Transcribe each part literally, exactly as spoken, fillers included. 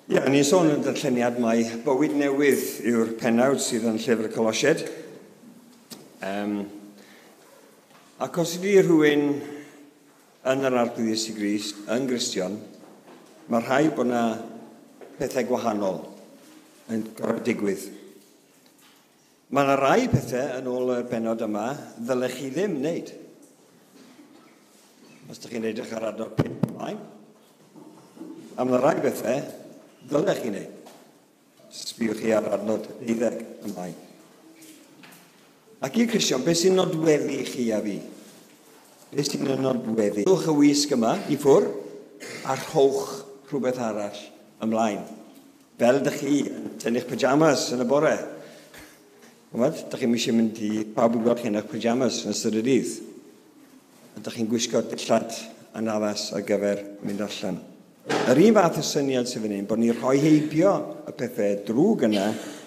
Ie, yeah, ni'n sôn yn darlleniad mai bywyd newydd yw'r pennawd sydd yn llyfr Colosiaid. Um, ac os ydy rhywun yn yr Arglwydd Iesu Grist, yn Gristion, mae rhaid bod yna pethau gwahanol yn gorfod digwydd. Mae yna rai pethau yn ôl y bennod yma ddylech chi ddim wneud. Os ydych chi'n edrych ar adnod pump ymlaen. A mae yna rai bethau ddylech chi wneud. Sbiwch chi ar adnod deuddeg ymlaen. Ac i Cristion, beth sy'n nodweddu chi a fi? Beth sy'n nodweddu? Rhowch y wisg yma i ffwr a rhowch rhywbeth arall ymlaen. Fel ydych chi yn tynnu'ch pyjamas yn y bore. Ch'mod, dych chi'n eisiau mynd i pawb i gweld chi yn eich pyjamas yn ystod y dydd. Ydych chi'n gwisgo dillad yn addas ar gyfer mynd allan. Yr un fath o syniad sydd fan hyn, bod ni'n rhoi heibio y pethau drwg yna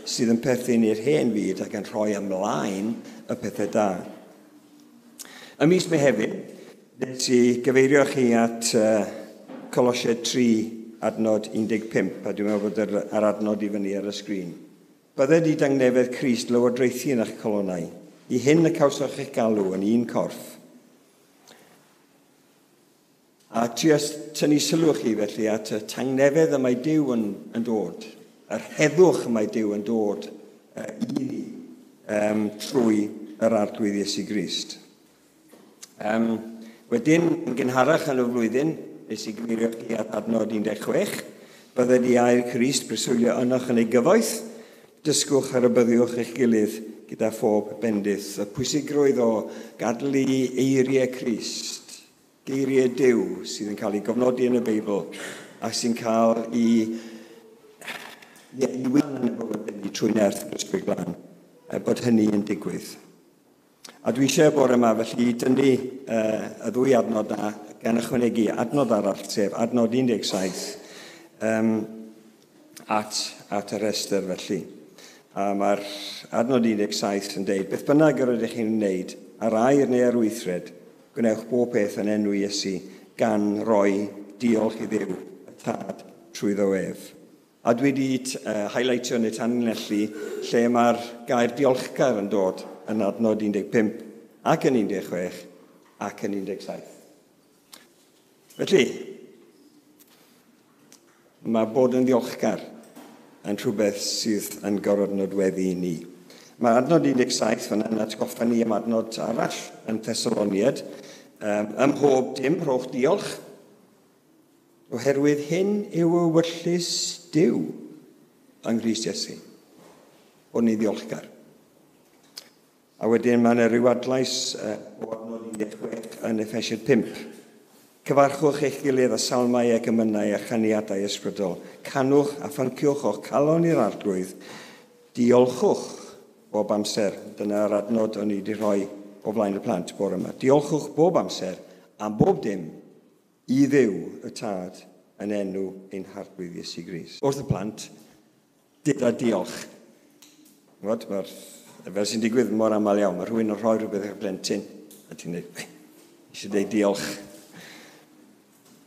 sydd yn perthyn i'r hen fyd ac yn rhoi ymlaen y pethau da. Ym mis Mehefin, nes i gyfeirio chi at uh, Colosiaid tri adnod un deg pump, a dwi'n meddwl bod yr, yr adnod i fyny ar y sgrin. Bydded i dangnefedd Crist lywodraethu yn eich colonnau, i hyn y cawsoch eich galw yn un corff. A trio tynnu sylw chi felly at y tangnefedd y mae Duw yn, yn dod, yr heddwch y mae Duw yn dod uh, i ni um, trwy yr Arglwydd Iesu Grist. Um, wedyn, yn gynharach yn y flwyddyn, nes i gyfeirio chi at adnod un deg chwech, bydded i air Crist breswylio ynoch yn ei gyfoeth, dysgwch a rybuddiwch eich gilydd gyda phob bendith. Y pwysigrwydd o gadael i eiriau Crist, geiriau Duw sydd yn cael ei gofnodi yn y Beibl ac sy'n cael ei, ei wyn yn y bywyd ni trwy nerth yr Ysbryd Glân, bod hynny yn digwydd. A dwi eisiau bore yma felly dynnu uh, y ddwy adnod na gan ychwanegu adnod arall, sef adnod un deg saith, um, at, at y rhestr felly. A mae'r adnod un deg saith yn deud, beth bynnag yr ydych chi'n wneud, ar air neu ar weithred, gwnewch bob peth yn enw Iesu, gan roi diolch i Dduw y Tad trwyddo ef. A dwi wedi uh, highlightio neu tanlinellu lle mae'r gair diolchgar yn dod yn adnod un deg pump ac yn un deg chwech ac yn un deg saith. Felly, mae bod yn ddiolchgar yn rhywbeth sydd yn gorfod nodweddu i ni. Mae adnod un deg saith fan yn atgoffa ni am adnod arall yn Thessaloniad. Um, ym mhob dim, rhowch diolch, oherwydd hyn yw ewyllys Duw yng Nghrist Iesu. Bod ni ddiolchgar. A wedyn mae yna ryw adlais uh, o adnod un deg chwech yn Effesiaid pump. Cyfarchwch eich gilydd â salmau ac emynau a chaniadau ysbrydol. Canwch a phynciwch o'ch calon i'r Arglwydd. Diolchwch bob amser. Dyna'r adnod o'n i wedi rhoi o flaen y plant bore yma. Diolchwch bob amser am bob dim i Dduw y Tad yn enw ein Harglwydd Iesu Grist. Wrth y plant, deuda diolch. Ch'mod, mae'r, fel sy'n digwydd mor aml iawn, mae rhywun yn rhoi rhywbeth i'r plentyn, a ti'n dweud, eisiau dweud diolch.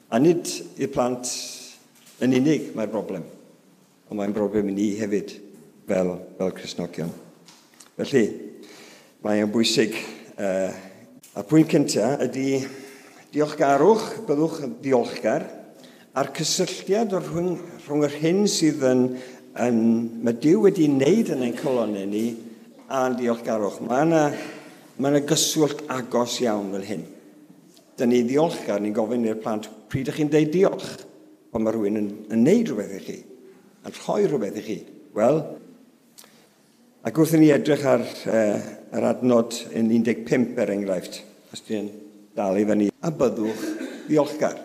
A nid i'r plant yn unig mae'r broblem, ond mae'n broblem i ni hefyd fel, fel Cristnogion. Felly, mae'n bwysig. Uh, a'r pwynt cyntaf ydy diolchgarwch, byddwch yn diolchgar, a'r cysylltiad o'r rhwng, rhwng yr hyn sydd yn, yn, mae Duw wedi wneud yn ein colonnau ni a'n diolchgarwch. Mae yna, mae yna gyswllt agos iawn fel hyn. Dyn ni ddiolchgar, ni'n gofyn i'r plant, pryd ydych chi'n deud diolch? Pan mae rhywun yn, yn neud rhywbeth i chi, yn rhoi rhywbeth i chi. Wel, ac wrth i ni edrych ar uh, yr adnod yn un deg pump er enghraifft, os ti'n dal i fyny, a byddwch ddiolchgar.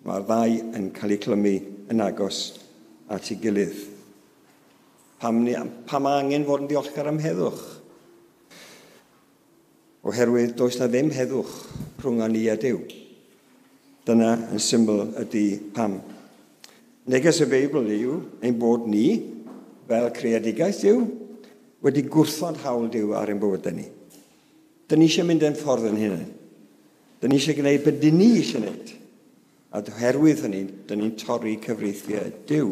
Mae'r ddau yn cael eu clymu yn agos at ei gilydd. Pam, ni, pam angen fod yn ddiolchgar am heddwch? Oherwydd does na ddim heddwch rhwng ni a Duw. Dyna yn syml ydy pam. Neges y Beibl yw ein bod ni, fel creadigaeth Duw, wedi gwrthod hawl Duw ar ein bywydau ni. Dyn ni eisiau mynd yn ffordd yn hunain. Dyn ni eisiau gwneud beth dyn ni eisiau gwneud. A oherwydd hynny, dyn ni'n torri cyfreithiau Duw.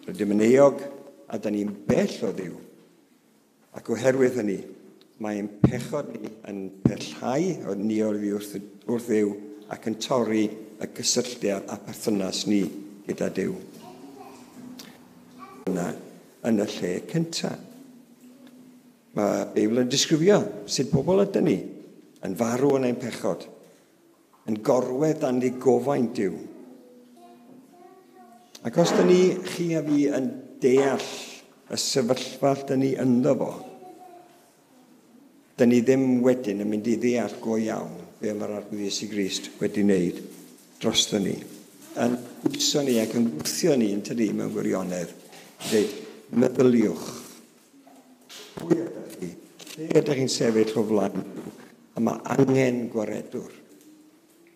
Rydym yn euog a dyn ni'n bell o Dduw. Ac oherwydd hynny, mae'n pechod ni yn pellhau o ni oddi wrth, wrth Dduw ac yn torri y cysylltiad a perthynas ni gyda Duw. Yna, yn y lle cyntaf. Mae Beibl yn disgrifio sut pobl ydyn ni yn farw yn ein pechod, yn gorwedd dan ddigofaint Duw. Ac os dyn ni, chi a fi, yn deall y sefyllfa dyn ni ynddo fo, dyn ni ddim wedyn yn mynd i ddeall go iawn be mae'r Arglwydd Iesu Grist wedi wneud drosto ni. Yn pwyso ni ac yn gwthio ni yn tydi mewn gwirionedd. Dweud, meddyliwch. Pwy ydych chi? Lle ydych chi'n sefyll o flaen Duw? A mae angen gwaredwr.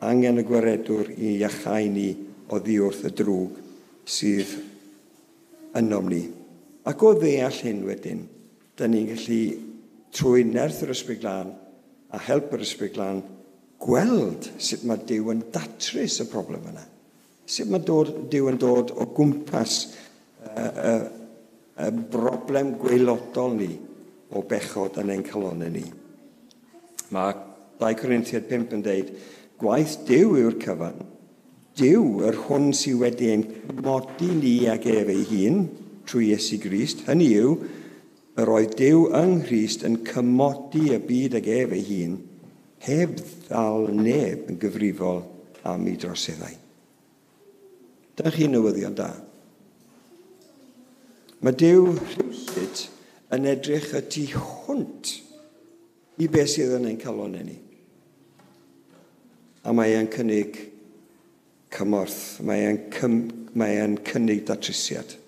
Angen y gwaredwr i iachau ni oddi wrth y drwg sydd ynom ni. Ac o ddeall hyn wedyn, dyn ni'n gallu trwy nerth yr Ysbryd Glân a help yr Ysbryd Glân gweld sut mae Duw yn datrys y broblem yna. Sut mae dod, Duw yn dod o gwmpas y, y, y broblem gwaelodol ni o bechod yn ein calonnau ni. Mae dau Corinthiaid pump yn deud, gwaith Duw yw'r cyfan. Duw, yr hwn sydd wedi ein cymodi ni ag ef ei hun trwy Iesu Grist, hynny yw, yr oedd Duw yng Nghrist yn cymodi y byd ag ef ei hun, heb ddal neb yn gyfrifol am ei droseddau. Dyna chi newyddion da. Mae Duw rhywsut yn edrych y tu hwnt i beth sydd yn ein calonnau ni. A mae e'n cynnig cymorth, mae e'n cym, mae e'n cynnig datrysiad.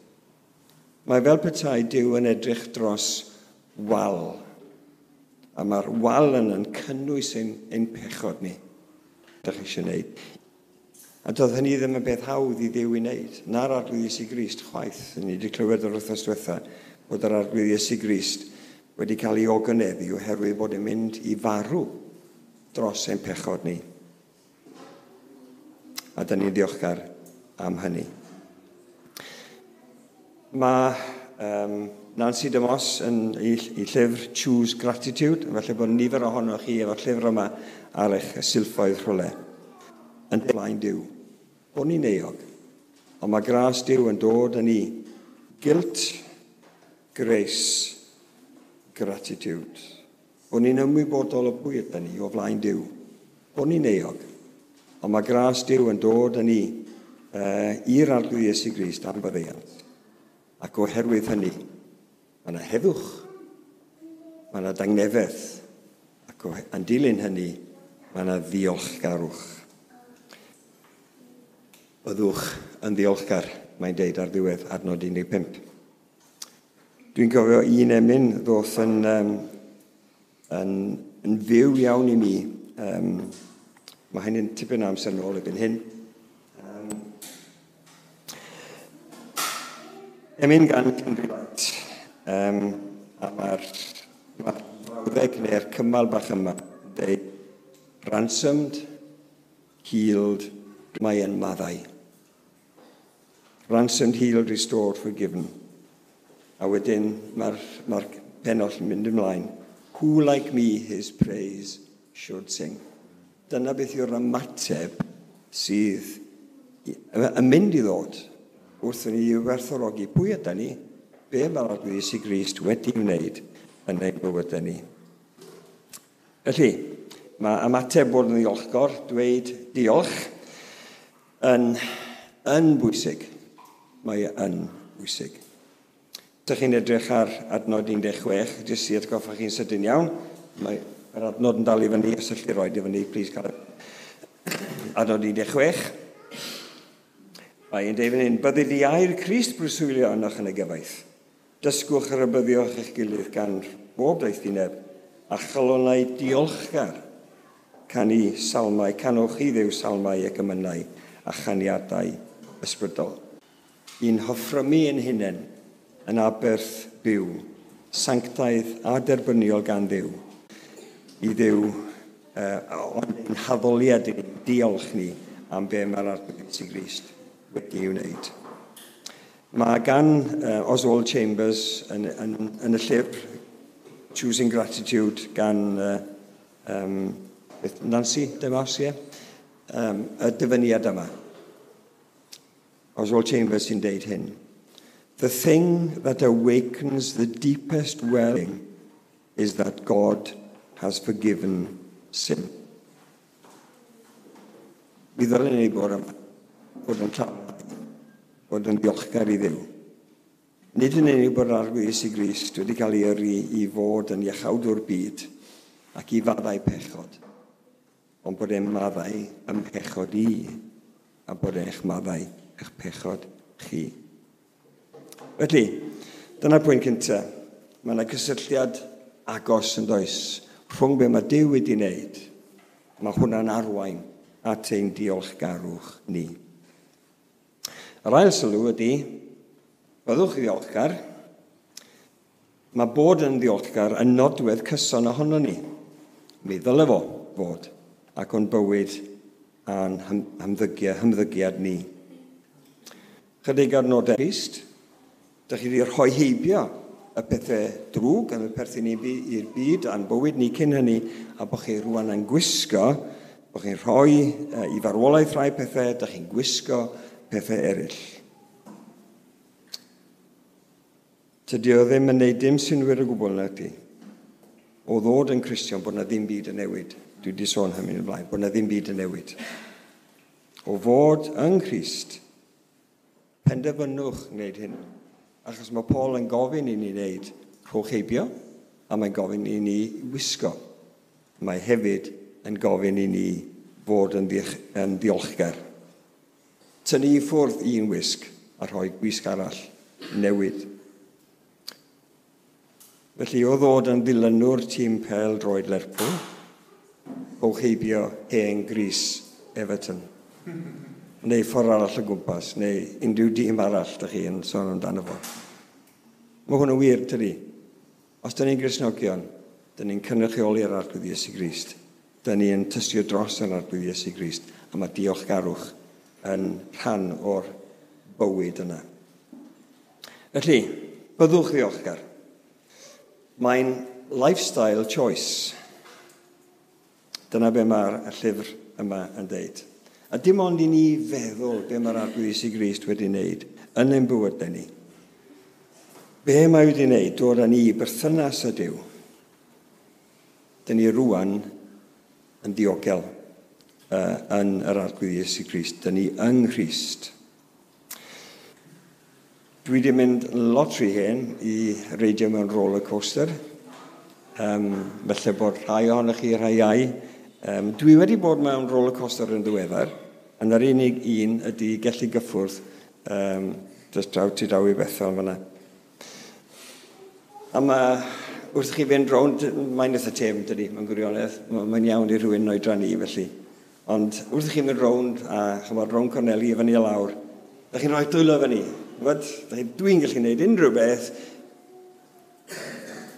Mae fel petai Duw yn edrych dros wal. A mae'r wal yna'n cynnwys ein, ein pechod ni. Dych chi eisiau gwneud. A doedd hynny ddim yn beth hawdd i Dduw i wneud. Na'r Arglwydd Iesu Grist chwaith. Ni wedi clywed yr wythnos diwetha bod yr Arglwydd Iesu Grist wedi cael ei ogoneddu oherwydd bod e'n mynd i farw dros ein pechod ni. A dyn ni'n ddiolchgar am hynny. Mae um, Nancy DeMoss yn ei, ei llyfr Choose Gratitude, felly bod nifer ohonoch chi efo'r llyfr yma ar eich silffoedd rhywle, yn flaen Duw. Bod ni'n euog, ond mae gras Duw yn dod yn ni. Guilt, grace, gratitude. Bod ni'n ymwybodol o pwy ydyn ni o flaen Duw. Bod ni'n euog, ond mae gras Duw yn dod yn ni uh, i'r Arglwydd Iesu Grist am faddeuant. Ac oherwydd hynny, mae yna heddwch, mae yna dangnefedd, ac yn dilyn hynny, mae yna ddiolchgarwch. Byddwch yn ddiolchgar, mae'n deud ar ddiwedd adnod un deg pump. Dwi'n cofio un emyn ddoth yn, um, yn, yn fyw iawn i mi. Um, mae hynny'n tipyn o amser nôl erbyn hyn. Um, emyn gan Cymru Light. Um, a mae'r ma brawddeg neu'r cymal bach yma yn deud, ransomed, healed, mae yn maddau. Ransomed, healed, restored, forgiven. A wedyn mae'r mae pennoll yn mynd ymlaen. Who like me his praise should sing. Dyna beth yw'r ymateb sydd yn mynd i ddod wrth i ni werthfawrogi pwy ydan ni, be mae'r Arglwydd Iesu Grist wedi wneud yn ein bywydau ni. Felly, mae ymateb bod yn ddiolchgar, dweud diolch, yn, yn bwysig. Mae yn bwysig. Dych chi'n edrych ar adnod un deg chwech, jyst i atgoffa chi'n sydyn iawn. Mae yr adnod yn dal i fyny, os allai roed i fyny, please cael adnod un deg chwech. Mae e'n deud fan hyn, bydded i air Crist breswylio ynoch yn y gyfaith. Dysgwch a rhybuddiwch eich gilydd gan bob doethineb a chalonnau diolchgar. Canu salmau, canwch i Dduw salmau ac emynau a chaniadau ysbrydol. I'n hoffrymu ein hunain yn aberth byw, sanctaidd a derbyniol gan Dduw. I Dduw, uh, ond ein haddoliad ni, diolch ni am be mae'r Arglwydd Iesu Grist wedi ei wneud. Mae gan uh, Oswald Chambers yn, yn, yn y llyfr Choosing Gratitude gan uh, um, Nancy DeMoss, ie? Um, y dyfyniad yma. Oswald Chambers sy'n deud hyn. "The thing that awakens the deepest welling is that God has forgiven sin." Mi ddylen ni bod yma, bod yn llawn, bod yn ddiolchgar i Dduw. Nid yn unig bod yr Arglwydd Iesu Grist wedi cael ei yrru i fod yn iachawdwr byd ac i faddau pechod, ond bod e'n maddau ym mhechod i a bod e'n maddau eich pechod chi. Felly, dyna'r pwynt cyntaf. Mae yna gysylltiad agos yn does rhwng be mae Duw wedi wneud. Mae hwnna'n arwain at ein diolchgarwch ni. Yr ail sylw ydy, byddwch ddiolchgar. Mae bod yn ddiolchgar yn nodwedd cyson ohono ni. Mi ddyle fo fod ac o'n bywyd a'n hymddygiad, hymddygiad ni. Chydig adnodau Crist, dych chi wedi rhoi heibio y pethau drwg yn y perthyn i'r byd a'n bywyd ni cyn hynny, a bod chi rwan yn gwisgo, bod chi'n rhoi i farwolaeth rhai pethau, dych chi'n gwisgo pethau eraill. Tydi o ddim yn neud dim synwyr o gwbl na ti. O ddod yn Cristion bod na ddim byd yn newid. Dwi wedi sôn hynny yn blaen, bod na ddim byd yn newid. O fod yng Nghrist, penderfynwch wneud hyn. Achos mae Paul yn gofyn i ni wneud rhowch heibio, a mae'n gofyn i ni wisgo. Mae hefyd yn gofyn i ni fod yn, yn ddiolchgar. Tynnu i ffwrdd un wisg a rhoi gwisg arall newid. Felly o ddod yn ddilynwr tîm pêl droed Lerpwl, rhowch heibio hen grys Everton. Neu ffordd arall o gwmpas, neu unrhyw dîm arall dych chi yn sôn amdano fo. Mae hwn yn wir, tydi. Os dyn ni'n Gristnogion, dyn ni'n cynrychioli'r Arglwydd Iesu Grist. Dyn ni'n tystio dros yr Arglwydd Iesu Grist, a mae diolchgarwch yn rhan o'r bywyd yna. Felly, byddwch ddiolchgar. Mae'n lifestyle choice. Dyna be mae'r llyfr yma yn deud. A dim ond i ni feddwl be mae'r Arglwydd Iesu Grist wedi wneud yn ein bywydau ni. Be mae wedi wneud, dod â ni i berthynas â Duw. Dyn ni rwan yn ddiogel uh, yn yr Arglwydd Iesu Grist. Dyn ni yng Nghrist. Dwi wedi mynd lot rhy hen i reidio mewn roller coaster. Um, felly bod rhai ohonoch chi, rhai iau. Um, dwi wedi bod mewn roller coaster yn ddiweddar, yn yr unig un ydy Gelli Gyffwrdd, um, just draw tu draw i Bethel fan'na. A mae, wrth chi fynd rownd, mae'n eitha têm, dydy, mae'n gwirionedd, mae'n iawn i rhywun oedran i felly. Ond wrth chi fynd rownd, a chymod, rownd corneli i fyny a lawr, da chi'n rhoi dwylo fyny. Dwi'n gallu gwneud unrhyw beth,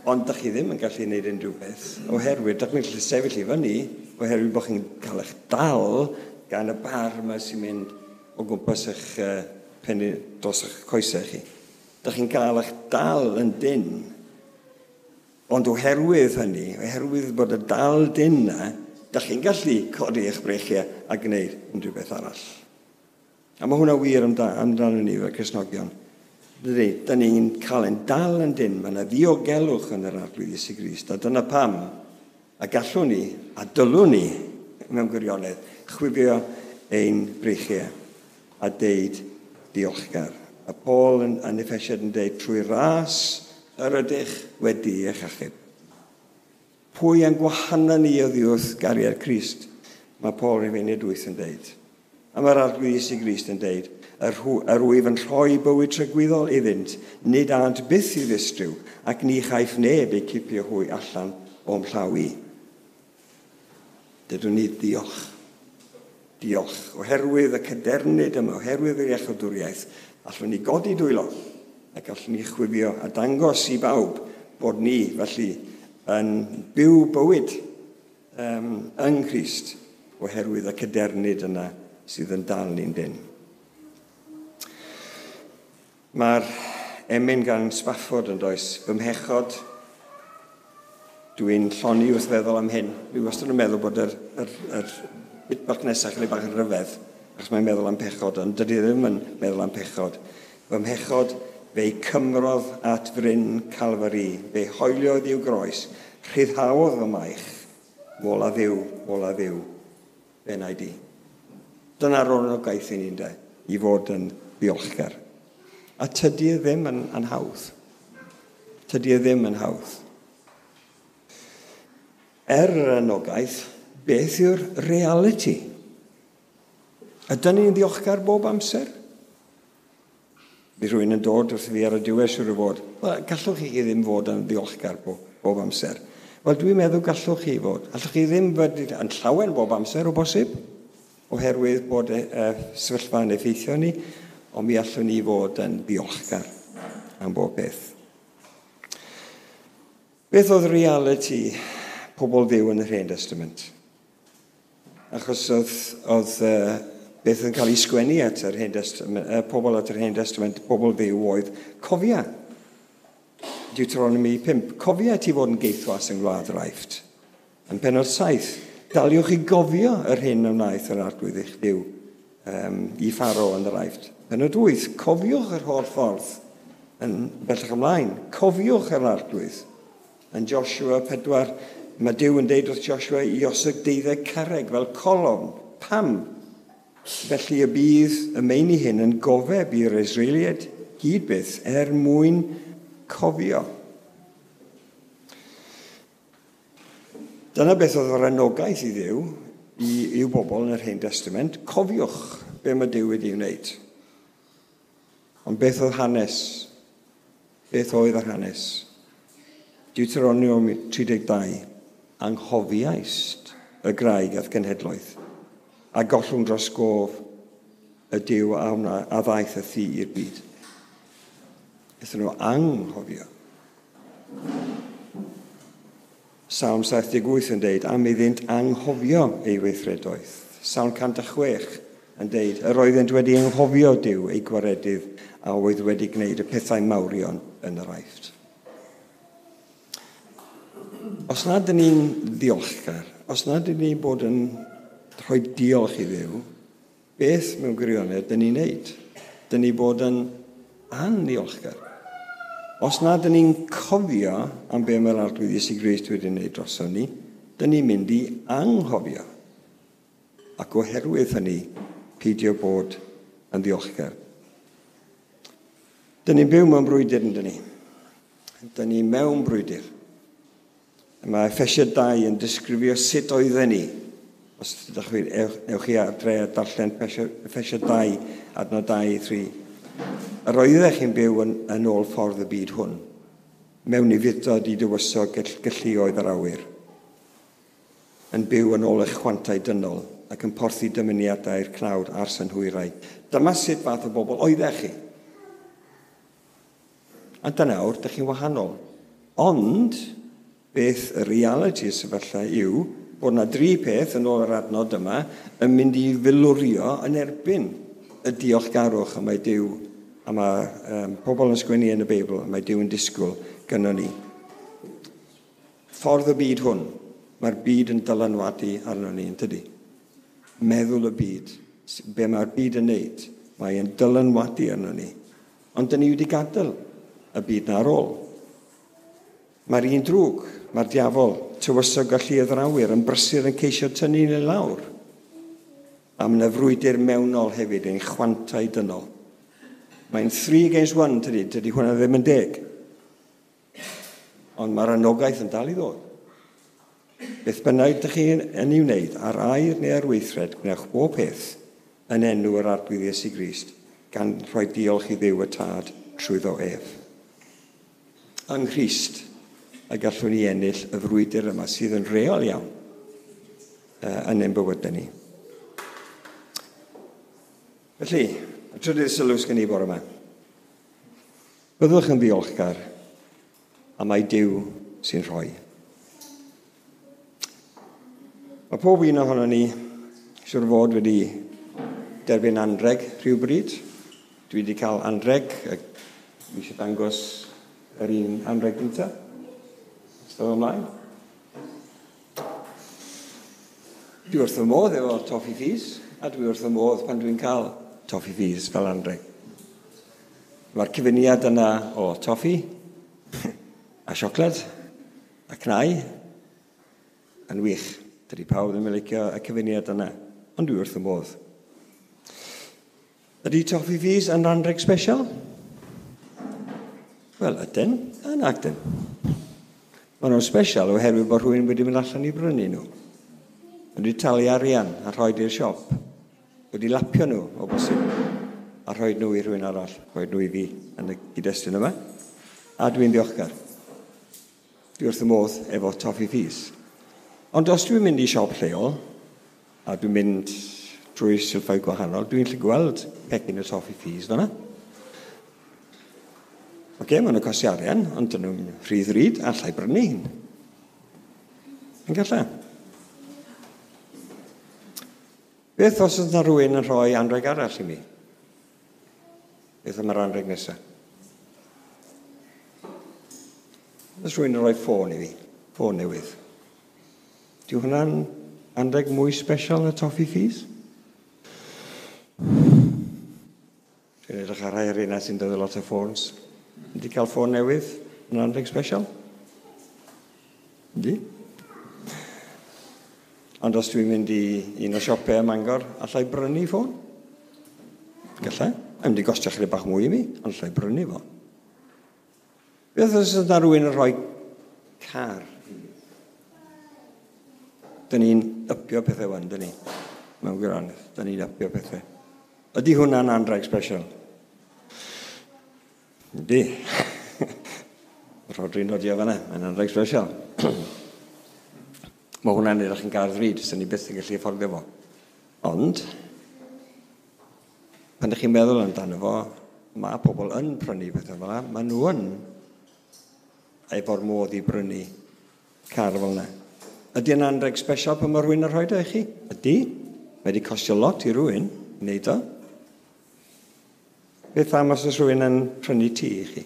ond da chi ddim yn gallu gwneud unrhyw beth, oherwydd da chi'n gallu sefyll i fyny, oherwydd bod chi'n cael eich dal gan y bar yma sy'n mynd o gwmpas eich uh, pennu dros eich coesau chi. Da chi'n cael eich dal yn dyn, ond oherwydd hynny, oherwydd bod y dal dyn na, da chi'n gallu codi eich breichiau a gwneud unrhyw beth arall. A mae hwnna wir amdano ni fel Cristnogion. Dydy, da ni'n cael ein dal yn dyn, mae yna ddiogelwch yn yr Arglwydd Iesu Grist, a dyna pam, a gallwn ni, a dylwn ni, mewn gwirionedd, chwifio ein breichiau a deud diolchgar. A Paul yn, yn Effesiaid yn deud, trwy ras yr ydych wedi eich achub. Pwy yn gwahana ni oddi wrth gariad Crist? Mae Paul yn Rhufeiniaid wyth yn deud. A mae'r Arglwydd Iesu Grist yn deud, yr, yr wyf yn rhoi bywyd tragwyddol iddynt, nid ânt byth i ddistryw, ac ni chaiff neb eu cipio hwy allan o'm llaw i. Dydwn ni diolch. Diolch. Oherwydd y cadernid yma, oherwydd yr iachawdwriaeth, allwn ni godi dwylo, ac allwn ni chwifio a dangos i bawb bod ni, felly, yn byw bywyd um, yng Nghrist, oherwydd y cadernid yna sydd yn dal ni'n dyn. Mae'r emyn gan Spafford yn does, fy mhechod, dwi'n llonni wrth feddwl am hyn. Dwi wastad yn meddwl bod yr, yr, yr bit bach nesaf chydig bach yn rhyfedd, achos mae'n meddwl am pechod, ond dydy ddim yn meddwl am pechod. Fy mhechod, fe'i cymrodd at fryn Calfari, fe hoeliodd i'w groes, rhyddhaodd fy maich, mola Dduw, mola Dduw, fe wna i di. Dyna'r anogaeth i ni'n de, i fod yn ddiolchgar. A tydi e ddim yn, yn hawdd. Tydi e ddim yn hawdd. Er yr anogaeth, beth yw'r reality? Ydyn ni'n ddiolchgar bob amser? Bydd rhywun yn dod wrth fi ar y diwedd siŵr o fod. Wel, gallwch chi ddim fod yn ddiolchgar bob, bob amser. Wel, dwi'n meddwl gallwch chi fod. Allwch chi ddim fod yn llawen bob amser o bosib, oherwydd bod y, y sefyllfa yn effeithio ni, ond mi allwn ni fod yn ddiolchgar am bob beth. Beth oedd reality pobl Dduw yn yr Hen Testament? Achos oedd, oedd uh, beth yn cael ei sgwennu at yr Hen Testament, uh, pobl at yr Hen Testament, pobl Dduw oedd cofia. Deuteronomy pump, cofia ti fod yn geithwas yng Ngwlad yr Aifft. Yn pennod saith, daliwch i gofio yr hyn a wnaeth yr Arglwydd eich Duw um, i Pharaoh yn yr Aifft. Pennod wyth, cofiwch yr holl ffordd yn bellach ymlaen. Cofiwch yr Arglwydd. Yn Joshua pedwar, mae Duw yn deud wrth Joshua i osod deuddeg carreg fel colofn. Pam? Felly y bydd y meini hyn yn gofeb i'r Israeliaid hyd byth er mwyn cofio. Dyna beth oedd yr anogaeth i Dduw, i, i'w bobl yn yr Hen Testament. Cofiwch be mae Duw wedi wneud. Ond beth oedd hanes? Beth oedd yr hanes? Deuteronomium tri deg dau. Anghofiaist y graig a'r genhedloedd, a gollwng dros gof y Duw a, wna, a ddaeth y thŷ i'r byd. Aethon nhw anghofio. Salm saith deg wyth yn deud, am iddynt anghofio ei weithredoedd. Salm cant a chwech yn deud, yr oeddent wedi anghofio Duw ei gwaredydd a oedd wedi gwneud y pethau mawrion yn yr Aifft. Os nad ydyn ni'n ddiolchgar, os nad ydyn ni'n bod yn rhoi diolch i Dduw, beth mewn gwirionedd dyn ni'n neud? Dyn ni bod yn anniolchgar. Os nad ydyn ni'n cofio am be mae'r Arglwydd Iesu Grist wedi wneud droson ni, dyn ni'n mynd i anghofio. Ac oherwydd hynny, peidio bod yn ddiolchgar. Dyn ni'n byw mewn brwydr, yn dyn ni. Dyn ni mewn brwydr. Mae Effesiaid dau yn disgrifio sut oedden ni. Os ydych chi, ewch chi adre a darllen Effesiaid dau, adnod dau, tri. Yr oeddech chi'n byw yn, yn ôl ffordd y byd hwn, mewn ufudd-dod i dywysog galluoedd yr awyr, yn byw yn ôl eich chwantau dynol ac yn porthi dymuniadau'r cnawd a'r synhwyrau. Dyma sut fath o bobl oeddech chi. A dyna awr, dych chi'n wahanol. Ond, beth y reality y sefyllfa yw bod yna dri peth yn ôl yr adnod yma yn mynd i filwrio yn erbyn y diolchgarwch y mae Duw a mae um, pobl yn sgwennu yn y Beibl a mae Duw yn disgwyl gynnon ni. Ffordd y byd hwn, mae'r byd yn dylanwadu arno ni, yn tydi? Meddwl y byd, be mae'r byd yn neud, mae'n dylanwadu arno ni. Ond dyn ni wedi gadael y byd na ar ôl. Mae'r un drwg, mae'r diafol, tywysog a lluoedd yr awyr yn brysur yn ceisio tynnu ni lawr. A mae yna frwydr mewnol hefyd ein chwantau dynol. Mae'n three against one, tydi, tydi hwnna ddim yn deg. Ond mae'r anogaeth yn dal i ddod. Beth bynnag ydych chi yn ei wneud, ar air neu ar weithred, gwnewch bob peth yn enw yr Arglwydd Iesu Grist, gan rhoi diolch i Dduw y Tad trwyddo ef. Yng Nghrist, y gallwn ni ennill y frwydr yma sydd yn reol iawn uh, yn ein bywydau ni. Felly, y trydydd sylw sgen i bore yma. Byddwch yn ddiolchgar a mae Duw sy'n rhoi. Mae pob un ohono ni siwr fod wedi derbyn anreg rhywbryd? Dwi wedi cael anreg. Dwi eisiau dangos yr un anreg gyntaf. Ystod ymlaen. Dwi wrth y modd efo toffee ffis, a dwi wrth y modd pan dwi'n cael toffee ffis fel anreg. Mae'r cyfuniad yna o toffi a siocled a cnau yn wych. Dydy pawb ddim yn licio y cyfuniad yna, ond dwi wrth y modd. Ydy toffee ffis yn anreg special? Wel, ydyn, a nag dyn. Maen nhw'n special oherwydd bod rhywun wedi mynd allan i brynu nhw. Wedi talu arian a rhoi i'r siop. Wedi lapio nhw o bosib a rhoi nhw i rhywun arall, rhoi nhw i fi yn y gyd-destun yma. A dwi'n ddiolchgar. Dwi wrth y modd efo toffee ffis. Ond os dwi'n mynd i siop lleol, a dwi'n mynd drwy silffoedd gwahanol, dwi'n gallu gweld pecyn y toffee ffis fyna. Oce, okay, maen nhw'n costi arian, ond dyn nhw'n rhy ddrud, allai brynu un. Yn gallai. Beth os yna rhywun yn rhoi anreg arall i mi? Beth am yr anreg nesaf? Os rhywun yn rhoi ffôn i fi, ffôn newydd. Dyw hwnna'n anreg mwy special na toffee ffis? Dwi'n edrych ar rhai o'r sy'n dod lot o ffôns. Ydy cael ffôn newydd yn anreg special? Ydy. Ond os dwi'n mynd i un o siopau ym Mangor, allai brynu ffôn? Gallai. Mae'n mynd i gostio chydig bach mwy i mi, ond allai brynu fo. Beth os yna rhywun yn rhoi car? Dyn ni'n ypio pethau wan, dyn ni. Mewn gwirionedd, dyn ni'n ypio pethau. Ydy hwnna'n anreg special? Ydy. Rodri'n nodio fan'na, mae'n anreg special. Mae hwnna'n edrych yn gar ddrud, sy'n ni byth yn gallu fforddio fo. Ond, pan ydych chi'n meddwl amdano fo, mae pobl yn prynu pethau fel yna, maen nhw yn efo'r modd i brynu car fel yna. Ydy yn anreg special pan mae rhywun yn rhoi o i chi? Ydy. Mae wedi costio lot i rhywun i wneud o. Beth am os oes rhywun yn prynu tŷ i chi?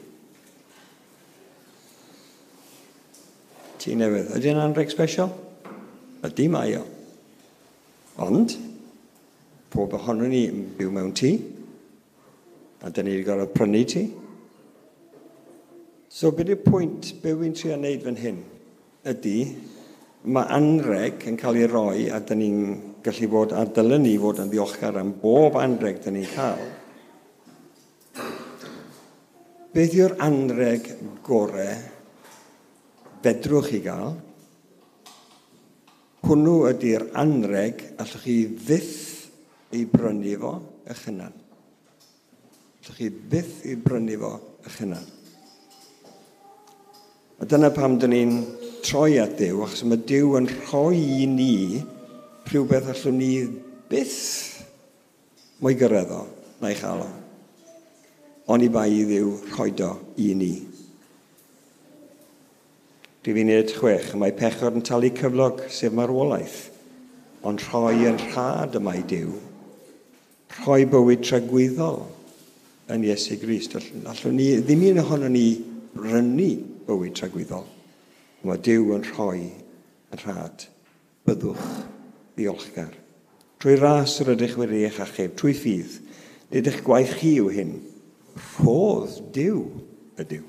Tŷ newydd. Ydy yn anreg special? Ydy mae o. Ond, pob ohonon ni yn byw mewn tŷ, a dyn ni wedi gorfod prynu tŷ. So, beth yw'r pwynt be wy'n trio wneud fan hyn? Ydy, mae anreg yn cael ei roi, a dyn ni'n gallu fod, a dylen ni fod yn ddiolchgar am bob anreg dyn ni'n cael. Beth yw'r anreg gore fedrwch chi gael? Hwnnw ydy'r anreg allwch chi fyth ei brynu fo eich hunan. Allwch chi byth ei brynu fo eich hunan. A dyna pam dyn ni'n troi at Duw, achos mae Duw yn rhoi i ni rhywbeth allwn ni byth mo'i gyrraedd o, na'i chael o. Oni bai i Dduw rhoid o i ni. Rhif uned chwech, mae pechod yn talu cyflog sef marwolaeth, ond rhoi yn rhad y mae Duw, rhoi bywyd tragwyddol yn Iesu Grist. Allwn ni, ddim un ohonon ni brynu bywyd tragwyddol. Mae Duw yn rhoi yn rhad. Byddwch ddiolchgar. Trwy ras yr ydych wedi eich achub, trwy ffydd, nid eich gwaith chi yw hyn. Rhodd Duw ydyw.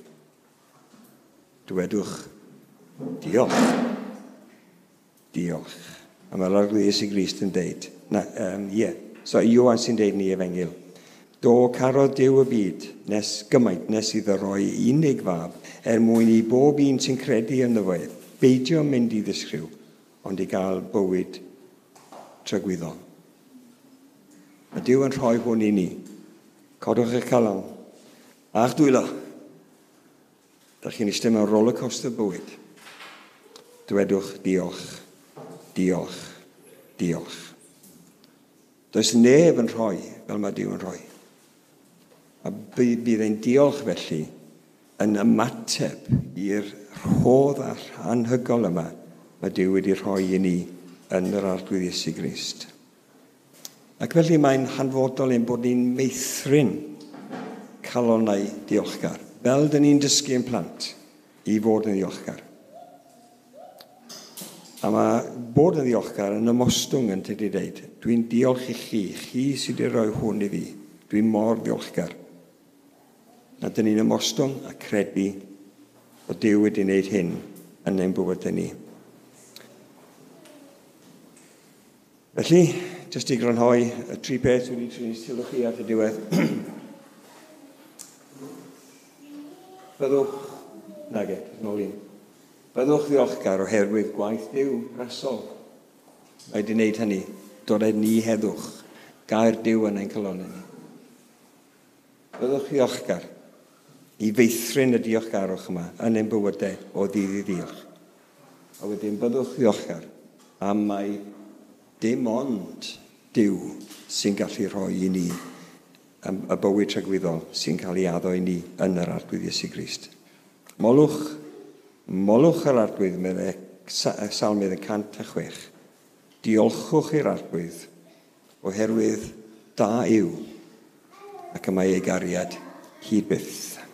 Dywedwch, diolch. Diolch. A mae'r Arglwydd Iesu Grist yn deud, na, um, ie, yeah. So Ioan sy'n deud ni efengyl. Do carodd Duw y byd, nes gymaint nes iddo roi unig fab, er mwyn i bob un sy'n credu ynddo fo, beidio mynd i ddisgriw, ond i gael bywyd tragwyddol. Mae Duw yn rhoi hwn i ni. Codwch eich calon, a'ch dwylo. Dach chi'n eistedd mewn rollercoaster bywyd. Dywedwch diolch, diolch, diolch. Does neb yn rhoi fel mae Duw yn rhoi. A bydd ein diolch felly yn ymateb i'r rhodd anhygoel yma mae Duw wedi rhoi i ni yn yr Arglwydd Iesu Grist. Ac felly mae'n hanfodol ein bod ni'n meithrin calonnau diolchgar, fel dyn ni'n dysgu ein plant i fod yn ddiolchgar. A mae bod yn ddiolchgar yn ymostwng yn tydi dweud, dwi'n diolch i chi, chi sydd wedi rhoi hwn i fi, dwi'n mor ddiolchgar. A dyn ni'n ymostwng a credu bod Duw wedi wneud hyn yn ein bywydau ni. Felly, jyst i grynhoi y tri peth wedi trin sylw chi at y diwedd. Byddwch, nage, nôl un. Byddwch ddiolchgar oherwydd gwaith Duw rasol. Mae wedi wneud hynny, dod â ni heddwch, gair Duw yn ein calonnau ni. Byddwch ddiolchgar i feithrin y diolchgarwch yma yn ein bywydau o ddydd i ddiolch. A wedyn byddwch ddiolchgar am mai dim ond Duw sy'n gallu rhoi i ni y bywyd tragwyddol sy'n cael ei addo i ni yn yr Arglwydd Iesu Grist. Molwch, molwch yr Arglwydd, meddai Salmydd y cant a chwech. Diolchwch i'r Arglwydd oherwydd da yw ac y mae ei gariad hyd byth.